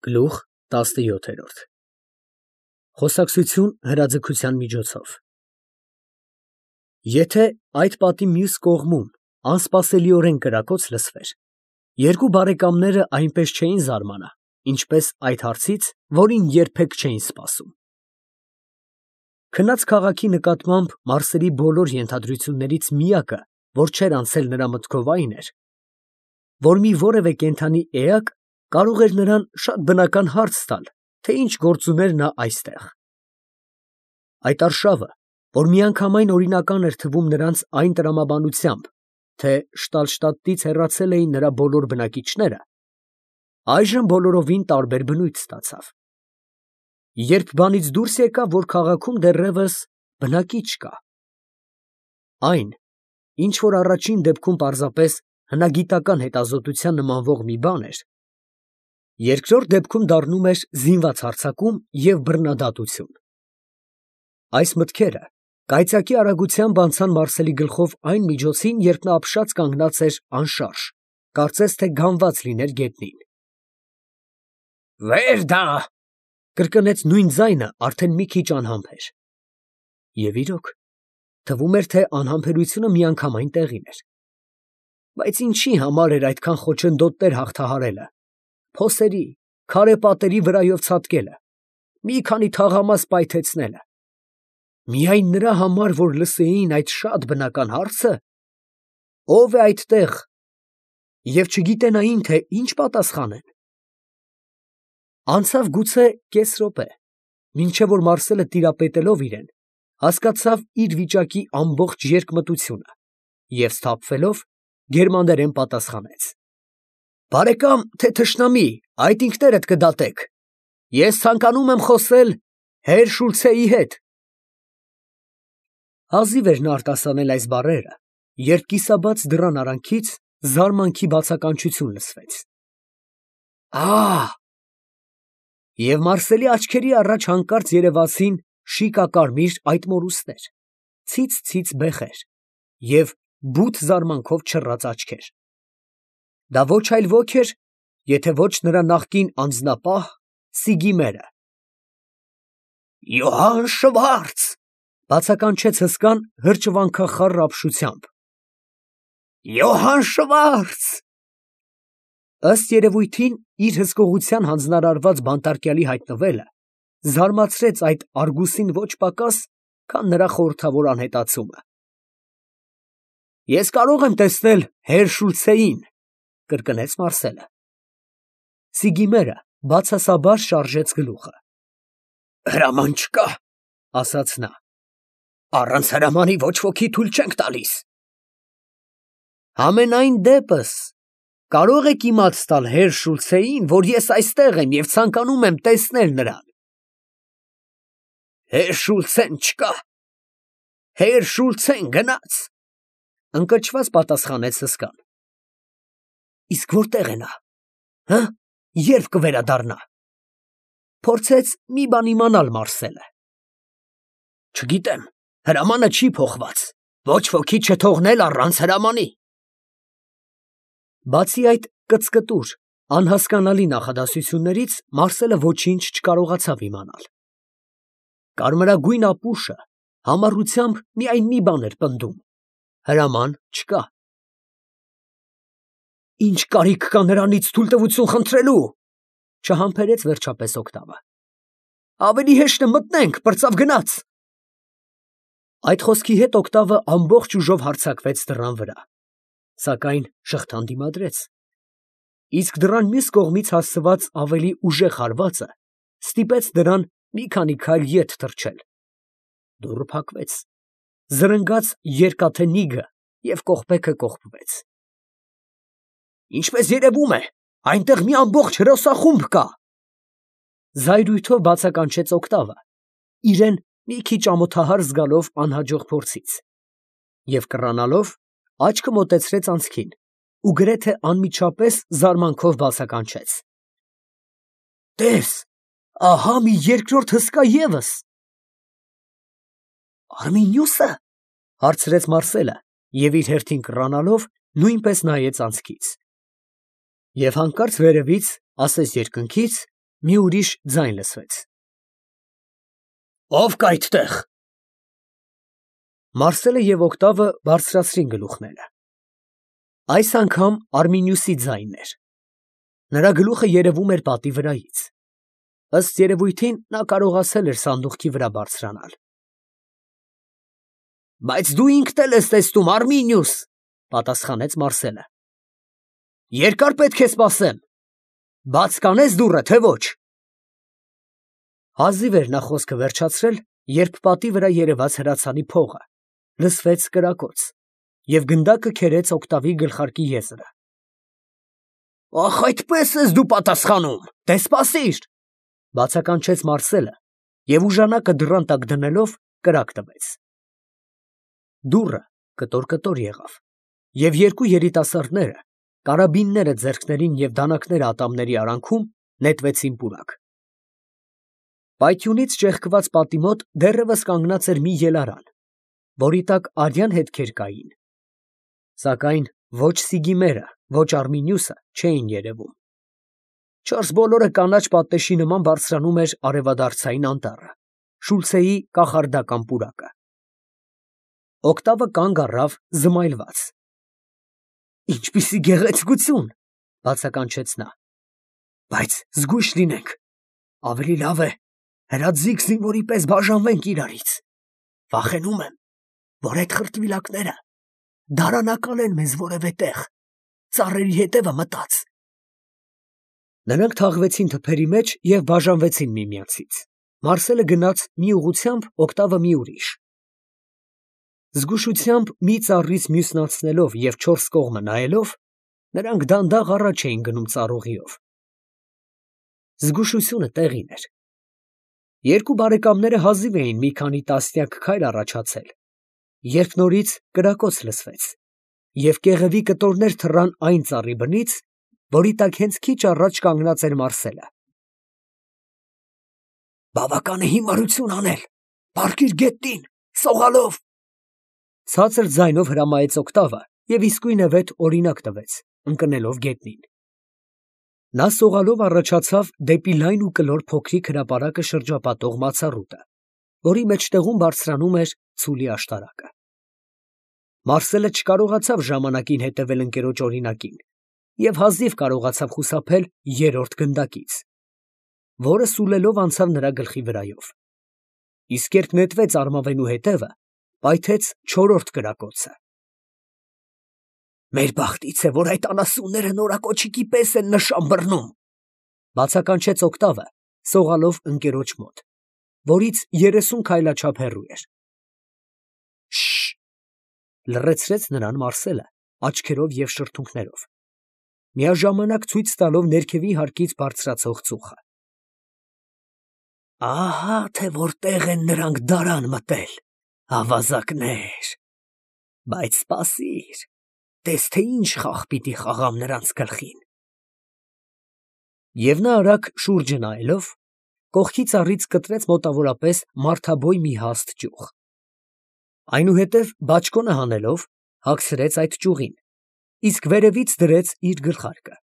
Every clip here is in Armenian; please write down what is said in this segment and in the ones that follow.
Գլուխ 17 Խոսակցություն հրաձգության միջոցով Եթե այդ պատի մյուս կողմում անսպասելիորեն կրակոց լսվեր, երկու բարեկամները այնպես չէին զարմանա, ինչպես այդ հարցից, որին երբեք չէին սպասում։ Քնած քաղաքի նկատմամբ Մարսելի բոլոր ենթադրություններից միակը, որ չէր անցել նրա մտքով այն էր, որ մի որևէ կենդանի էակ կարող էր նրան շատ բնական հարց տալ, թե ինչ գործ ուներ նա այստեղ։ Այդ արշավը, որ միանգամայն օրինական էր թվում նրանց այն տրամաբանությամբ, թե Շտալշտադտից հեռացել էին նրա բոլոր բնակիչները, այժմ բոլորովին տարբեր բնույթ ստացավ։ Երբ բանից դուրս եկավ, որ քաղաքում դեռևս բնակիչ կա։ Այն, ինչ որ առաջին դեպքում պարզապես հնագիտական հետազոտության նմանվող մի բան էր, երկրորդ դեպքում դառնում էր զինված հարձակում և բռնադատություն։ Այս մտքերը կայծակի արագությամբ անցան Մարսելի գլխով այն միջոցին, երբ նա ապշած կանգնած էր անշարժ, կարծես թե գանված լիներ գետնին։ «Վեր դա!» կրկնեց նույն ձայնը արդեն մի քիչ անհամբեր։ Եվ իրոք, թվում էր, թե անհամբերությունը միանգամայն տեղին էր։ Բայց ինչի համար էր այդքան խոչընդոտներ հաղթահարելը, փոսերի, քարե պատերի վրայով ցատկելը, մի քանի թաղամաս պայթեցնելը։ Միայն նրա համար, որ լսեին այդ շատ բնական հարցը, ո՞վ է այդտեղ, և չգիտենային, թե ինչ պատասխանեն։ Անցավ գուցե կես րոպե, մինչև որ Մարսելը տիրապետելով իրեն, հասկացավ իր վիճակի ամբողջ երկմտությունը և սթափվելով գերմաներեն պատասխանեց. «Բարեկամ, թե թշնամի, այդ ինքներդ կդատեք, ես ցանկանում եմ խոսել հեր Շուլցեի հետ»։ Հազիվ էր նա արտասանել այս բառերը, երբ կիսաբաց դռան արանքից զարմանքի բացականչություն լսվեց. «Ա՜…» Եվ Մարսելի աչքերի առաջ հանկարծ երևացին շիկակարմիր այդ մորուստներ, ցից բեխեր և բութ զարմանքով չռած աչքեր։ Դա ոչ այլ ոք էր, եթե ոչ նրա նախկին անձնապահ Սիգիմերը։ «Յոհան Շվարց!» բացականչեց հսկան հրճվանքախառ ապշությամբ։ «Յոհան Շվարց!» Ըստ երևույթին, իր հսկողության հանձնարարված բանտարկյալի հայտնվելը զարմացրեց այդ Արգուսին ոչ պակաս, քան նրա խորհրդավոր անհետացումը։ «Ես կարող եմ տեսնել հեր Շուլցեին», կրկնեց Մարսելը։ Սիգիմերը բացասաբար շարժեց գլուխը։ «Հրաման չկա», ասաց նա։ «Առանց հրամանի ոչ ոքի թույլ չենք տալիս»։ «Համենայն դեպս կարող եք իմաց տալ հեր Շուլցեին, որ ես այստեղ եմ և ցանկանում եմ տեսնել նրան»։ «Հեր Շուլցեն չկա, հեր Շուլցեն գնաց», ընկճված պատասխանեց հսկան։ «Իսկ որտե՞ղ է նա, երբ կվերադառնա», փորձեց մի բան իմանալ Մարսելը։ «Չգիտեմ, հրամանը չի փոխված, ոչ ոքի չթողնել առանց հրամանի»։ Բացի այդ կծկտուր, անհասկանալի նախադասություններից Մարսելը ոչինչ չկարողացավ իմանալ։ Կարմրագույն ապուշը համառությամբ միայն մի բան էր պնդում. հրաման չկա։ «Ինչ կարիք կա նրանից թույլտվություն խնդրելու», չհամբերեց վերջապես օկտավը։ «Ավելի հեշտ է մտնենք, պրծավ գնաց»։ Այդ խոսքի հետ օկտավը ամբողջ ուժով հարձակվեց դռան վրա, սակայն շղթան դիմադրեց, իսկ դռան մյուս կողմից հասցված ավելի ուժեղ հարվածը ստիպեց դրան մի քանի քայլ ետ թռչել։ Դուռը փակվեց, զրնգաց երկաթե նիգը և կողպեքը կողպվեց։ «Ինչպես երևում է, այնտեղ մի ամբողջ հրոսախումբ կա», զայրույթով բացականչեց օկտավը, իրեն մի քիչ ամոթահար զգալով անհաջող փորձից, և կռանալով աչքը մոտեցրեց անցքին ու գրեթե անմիջապես զարմանքով բացականչեց. «Տես, ահա մի երկրորդ հսկա ևս»։ «Արմինիուսը», հարցրեց Մարսելը և իր հերթին կռանալով նույնպես նայեց անցքից։ Եվ հանկարծ վերևից, ասես երկնքից, Մի ուրիշ ձայն լսվեց. Ո՞վ կա այդտեղ։ Մարսելը և Օկտավը բարձրացրին գլուխները։ Այս անգամ Արմինիուսի ձայնն էր։ Նրա գլուխը երևում էր պատի վրայից։ Ըստ երևույթին նա կարողացել էր սանդուղքի վրա բարձրանալ։ Բայց դու ինքդ էլ ես տեսնում, Արմինիուս, պատասխանեց Մարսելը։ Երկար պետք է սպասեմ։ Բաց կանես դուռը, թե ոչ։ Հազիվ էր նա խոսքը վերջացրել, երբ պատի վրա երևաց հրացանի փողը, լսվեց կրակոց, և գնդակը քերեց Օկտավի գլխարկի եզրը։ Ախ, այդպես ես դու պատասխանում, դե սպասիր, բացականչեց Մարսելը և ուժանակը դռան տակ դնելով կրակ տվեց։ Դուռը կտոր-կտոր եղավ, և երկու երիտասարդները, կարաբինները ձեռքներին և դանակները ատամների արանքում, նետվեցին պուրակ։ Պայթյունից ճեղքված պատի մոտ դեռևս կանգնած էր մի ելարան, որի տակ արյան հետքեր կային, սակայն ոչ Սիգիմերը, ոչ Արմինիուսը չէին երևում։ Չորս բոլորը կանաչ պատնեշի նման բարձրանում էր արևադարձային անտառը, Շուլցեի կախարդական պուրակը։ Օկտավը կանգ առավ զմայլված։ Ինչպիսի գեղեցկություն, բացականչեց նա։ Բայց զգույշ լինենք, ավելի լավ է հրաձիգ զինվորի պես բաժանվենք իրարից։ Վախենում եմ, որ այդ խրտվիլակները դարանակալեն մեզ որևէ տեղ, ծառերի հետևը մտած։ Նրանք թաղվեցին թփերի մեջ և բաժանվեցին միմյանցից։ Մարսելը գնաց մի ուղղությամբ, Օկտավը մի ուրիշ։ Զգուշությամբ մի ծառից մյուսն անցնելով և չորս կողմը նայելով, նրանք դանդաղ առաջ էին գնում ծառուղիով։ Զգուշությունը տեղին էր։ Երկու բարեկամները հազիվ էին մի քանի տասնյակ քայլ առաջացել, երբ նորից կրակոց լսվեց, և կեղևի կտորներ թռան այն ծառի բնից, որի տակ հենց քիչ առաջ կանգնած էր Մարսելը։ Բավական է հիմարություն անել, պառկիր գետնին, սողալով, ցածր ձայնով հրամայեց Օկտավը և իսկույնևեթ օրինակ տվեց, ընկնելով գետնին։ Նա սողալով առաջացավ դեպի լայն ու կլոր փոքրիկ հրապարակը շրջապատող մացառուտը, որի մեջտեղում բարձրանում էր ցուլի աշտարակը։ Մարսելը չկարողացավ ժամանակին հետևել ընկերոջ օրինակին և հազիվ կարողացավ խուսափել երրորդ գնդակից, որը սուլելով անցավ նրա գլխի վրայով։ Իսկ երբ նետվեց արմավենու հետևը, պայթեց չորրորդ կրակոցը։ Մեր բախտից է, որ այդ անասունները նորակոչիկի պես են նշան բռնում, բացականչեց Օկտավը, սողալով ընկերոջ մոտ, որից 30 քայլաչափ հեռու էր։ Շշ, լռեցրեց նրան Մարսելը, աչքերով և շրթունքներով, միաժամանակ ցույց տալով ներքևի հարկից բարձրացող ծուխը։ Ահա թե որտեղ են նրանք դարան մտել, ավազակներ, բայց սպասիր, տես թե ինչ խաղ պիտի խաղամ նրանց գլխին։ Եվ նա արագ շուրջը նայելով, կողքի ծառից կտրեց մոտավորապես մարդաբոյ մի հաստ ճյուղ։ Այնուհետև բաճկոնը հանելով, հագցրեց այդ ճյուղին, իսկ վերևից դրեց իր գլխարկը,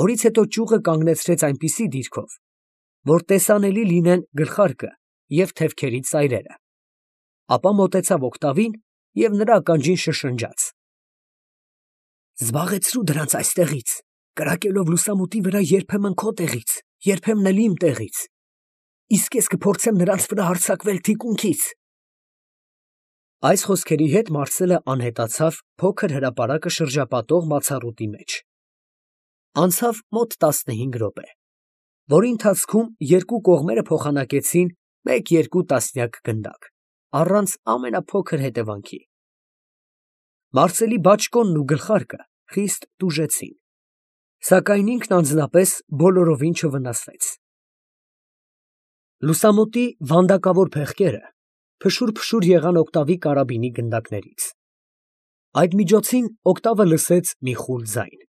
որից հետո ճյուղը կանգնեցրեց այնպիսի դիրքով, որ տեսանելի լինեն գլխարկը և թևքերի ծայրերը, ապա մոտեցավ Օկտավին և նրա ականջին շշնջաց. Զբաղեցրու դրանց այստեղից, կրակելով լուսամուտի վրա երբեմն քո տեղից, երբեմն էլ իմ տեղից, իսկ ես կփորձեմ նրանց վրա հարձակվել թիկունքից։ Այս խոսքերի հետ Մարսելը անհետացավ փոքր հրապարակը շրջապատող մացառուտի մեջ։ Անցավ մոտ 15 րոպե, որի ընթացքում երկու կողմերը փոխանակեցին 1-2 տասնյակ գնդակ, առանց ամենափոքր հետևանքի։ Մարսելի բաճկոնն ու գլխարկը խիստ տուժեցին, սակայն ինքն անձնապես բոլորովին չվնասվեց։ Լուսամուտի վանդակավոր փեղկերը փշուր եղան Օկտավի կարաբինի գնդակներից։ Այդ միջոցին Օկտավը լսեց մի խուլ ձայն.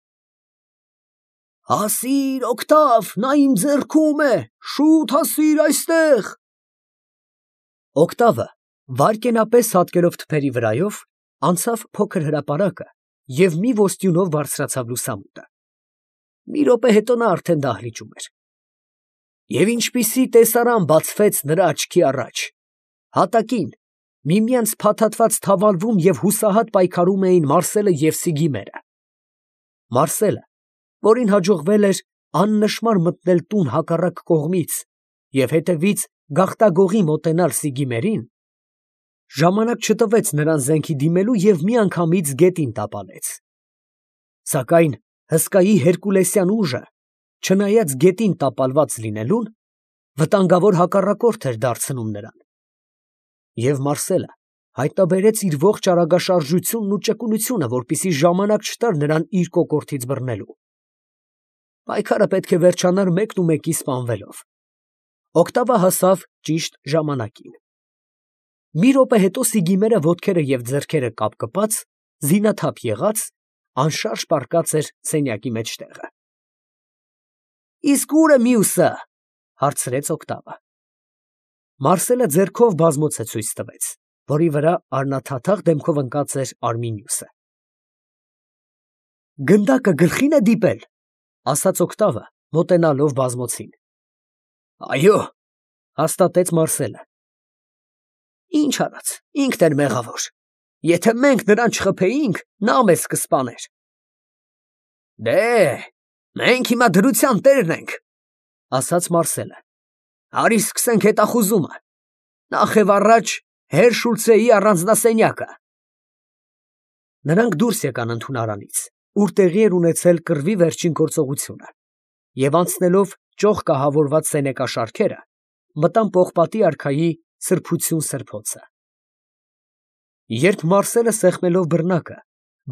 Հասիր, Օկտավ, նա իմ ձեռքում է, շուտ հասիր այստեղ։ Օկտավը վայրկենապես հատկելով թփերի վրայով, անցավ փոքր հրապարակը և մի ոստյունով բարձրացավ լուսամուտը։ Մի րոպե հետո նա արդեն դահլիճում էր։ Եվ ինչպիսի տեսարան բացվեց նրա աչքի առաջ. հատակին միմյանց փաթաթված թավալվում և հուսահատ պայքարում էին Մարսելը և Սիգիմերը։ Մարսելը, որին հաջողվել էր աննշմար մտնել տուն հակառակ կողմից և հետևից գաղտագողի մոտենալ Սիգիմերին, ժամանակ չտվեց նրան զենքի դիմելու և միանգամից գետին տապալեց։ Սակայն հսկայի հերկուլեսյան ուժը, չնայած գետին տապալված լինելուն, վտանգավոր հակառակորդ էր դարձնում նրան։ Եվ Մարսելը հայտնաբերեց իր ողջ արագաշարժությունն ու ճկունությունը, որպեսզի ժամանակ չտար նրան իր կոկորդից բռնելու։ Պայքարը պետք է վերջանար մեկնումեկի սպանվելով։ Օկտավը հասավ ճիշտ ժամանակին։ Մի րոպե հետո Սիգիմերը ոտքերը և ձեռքերը կապկպած, զինաթափ եղած, անշարժ պառկած էր սենյակի մեջտեղը։ «Իսկ ո՞ւր է մյուսը» հարցրեց Օկտավը։ Մարսելը ձեռքով բազմոցը ցույց տվեց, որի վրա առնաթաթախ դեմքով ընկած էր Արմինիուսը։ «Գնդակը գլխի՞ն է դիպել», ասաց Օկտավը, մոտենալով բազմոցին։ «Այո», հաստատեց Մարսելը։ «Ինչ արած, ինքն էր մեղավոր. եթե մենք նրան չխփեինք, նա մեզ կսպաներ»։ «Դե, մենք հիմա դրության տերն ենք», ասաց Մարսելը։ «Արի սկսենք հետախուզումը։ Նախ և առաջ հեր Շուլցեի առանձնասենյակը»։ Նրանք դուրս եկան ընդունարանից, ուր տեղի էր ունեցել կռվի վերջին գործողությունը, և անցնելով ճոխ կահավորված սենեկաշարքերը, մտան պողպատի արքայի սրբություն սրբոցը։ Երբ Մարսելը սեղմելով բռնակը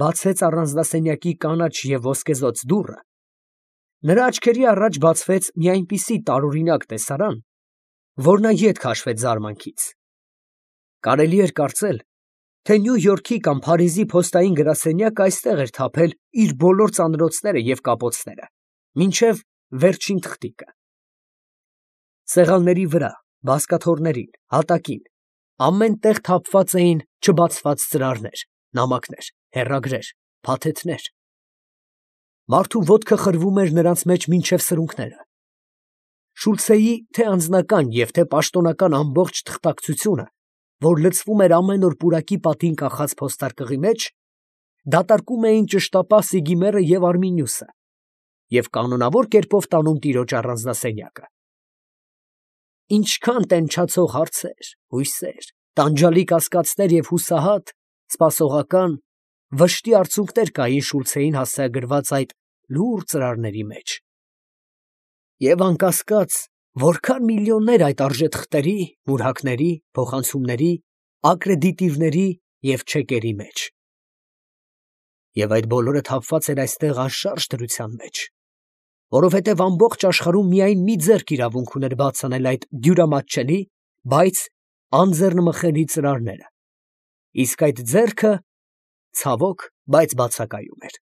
բացեց առանձնասենյակի կանաչ և ոսկեզօծ դուռը, նրա աչքերի առաջ բացվեց մի այնպիսի տարօրինակ տեսարան, որ նա ետ քաշվեց զարմանքից։ Կարելի էր կարծել, թե Նյու Յորքի կամ Փարիզի փոստային գրասենյակը այստեղ էր թափել իր բոլոր ծանրոցները և կապոցները, մինչև վերջին թղթիկը։ Սեղանների վրա, բազկաթոռներին, հատակին, ամեն տեղ թափված էին չբացված ծրարներ, նամակներ, հեռագրեր, փաթեթներ։ Մարդու ոտքը խրվում էր նրանց մեջ մինչև սրունքները։ Շուլցեի թե անձնական և թե պաշտոնական ամբողջ թղթակցությունը, որ լցվում էր ամեն օր պուրակի պատին կախած փոստարկղի մեջ, դատարկում էին ճշտապահ Սիգիմերը և Արմինիուսը և կանոնավոր կերպով տանում տիրոջ առանձնասենյակը։ Ինչքան տենչացող հարցեր, հույսեր, տանջալի կասկածներ և հուսահատ, սպասողական, վշտի արցունքներ կային Շուլցեին հասցեագրված այդ լուռ ծրարների մեջ։ Եվ անկասկած, որքան միլիոններ այդ արժեթղթերի, մուրհակների, փոխանցումների, ակրեդիտիվների և չեկերի մեջ։ Եվ այդ բոլորը թափված էր այստեղ անշարժ դրության մեջ, որովհետև ամբողջ աշխարհում միայն մի ձեռք իրավունք ուներ բաց անել այդ դյուրամատչելի, բայց անձեռնմխելի ծրարները, իսկ այդ ձեռքը, ցավոք, բայց բացակայում էր։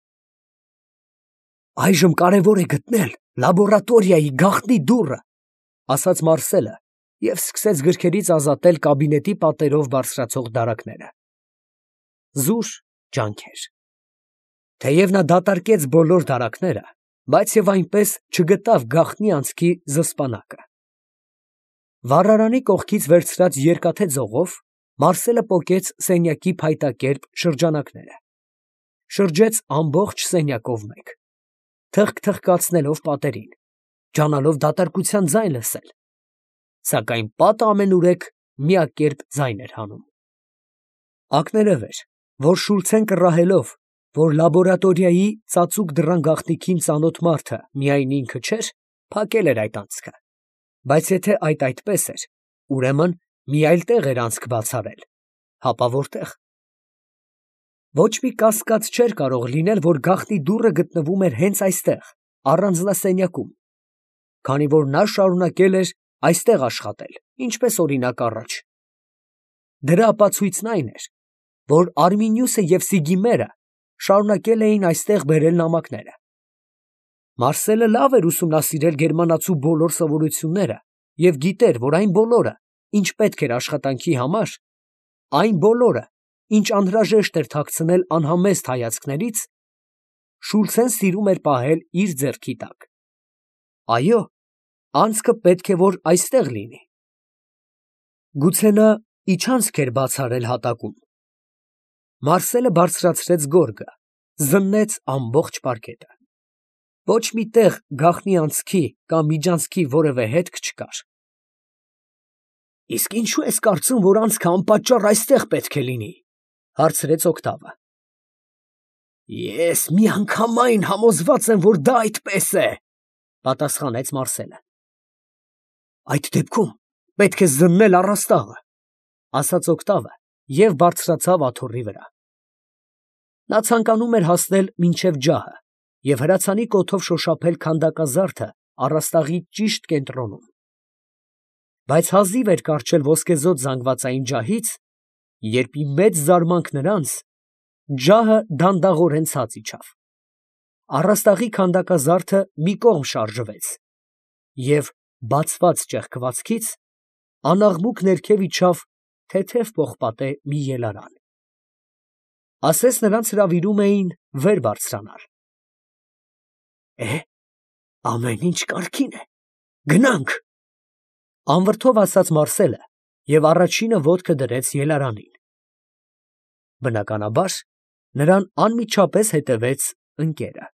«Այժմ կարևոր է գտնել լաբորատորիայի գաղտնի դուռը», ասաց Մարսելը և սկսեց գրքերից ազատել կաբինետի պատերով բարձրացող դարակները։ Զուր ջանքեր։ Թեև նա դատարկեց բոլոր դարակները, բայց և այնպես չգտավ գաղտնի անցքի զսպանակը։ Վառարանի կողքից վերցրած երկաթե ձողով Մարսելը պոկեց սենյակի փայտակերպ շրջանակները, շրջեց ամբողջ սենյակով մեկ, թխկթխկացնելով պատերին, ջանալով դատարկության ձայն լսել, սակայն պատը ամենուրեք միակերպ ձայն էր հանում։ Ակներև էր, որ Շուլցեն կռահելով, որ լաբորատորիայի ծածուկ դռան գաղտնիքին ծանոթ մարդը միայն ինքը չէր, փակել էր այդ անցքը, բայց եթե այդ այդպես էր, ուրեմն մի այլ տեղ էր անցք բաց արել, հապա որտե՞ղ։ Ոչ մի կասկած չէր կարող լինել, որ գաղտնի դուռը գտնվում էր հենց այստեղ, առանձնասենյակում, քանի որ նա շարունակել էր այստեղ աշխատել, ինչպես օրինակ առաջ։ Դրա ապացույցն այն էր, որ Արմինիուսը և Սիգիմերը շարունակել էին այստեղ բերել նամակները։ Մարսելը լավ էր ուսումնասիրել գերմանացու բոլոր սովորությունները և գիտեր, որ այն բոլորը, ինչ պետք էր աշխատանքի համար, այն բոլորը, ինչ անհրաժեշտ էր թաքցնել անհամեստ հայացքներից, Շուլցեն սիրում էր պահել իր ձեռքի տակ։ Այո, Անցքը պետք է որ այստեղ լինի։ Գուցե նա իջանցք էր բաց արել հատակում։ Մարսելը բարձրացրեց գորգը, զննեց ամբողջ պարկետը։ Ոչ մի տեղ գաղտնի անցքի կամ միջանցքի որևէ հետք չկար։ Իսկ ինչու ես կարծում, որ անցքը անպատճառ այստեղ պետք է լինի, հարցրեց Օգտավը։ Ես միանգամայն համոզված եմ, որ դա այդպես է, պատասխանեց Մարսելը։ Այդ դեպքում պետք է զննել առաստաղը, ասաց Օգտավը և բարձրացավ աթոռի վրա։ Նա ցանկանում էր հասնել մինչև ջահը և հրացանի կոթով շոշափել քանդակազարդը առաստաղի ճիշտ կենտրոնում։ Բայց հազիվ էր կառչել ոսկեզօծ զանգվածային ջահից, երբ ի մեծ զարմանք նրանց ջահը դանդաղորեն ցած իջավ։ Առաստաղի քանդակազարդը մի կողմ շարժվեց և բացված ճեղքվածքից անաղմուկ ներքև իջավ թեթև պողպատե մի ելարան։ Ասես նրանց հրավիրում էին վեր բարձրանալ։ Ամեն ինչ կարգին է, գնանք, անվրդով ասաց Մարսելը և առաջինը ոտքը դրեց ելարանին։ Բնականաբար, նրան անմիջապես հետևեց ընկերը։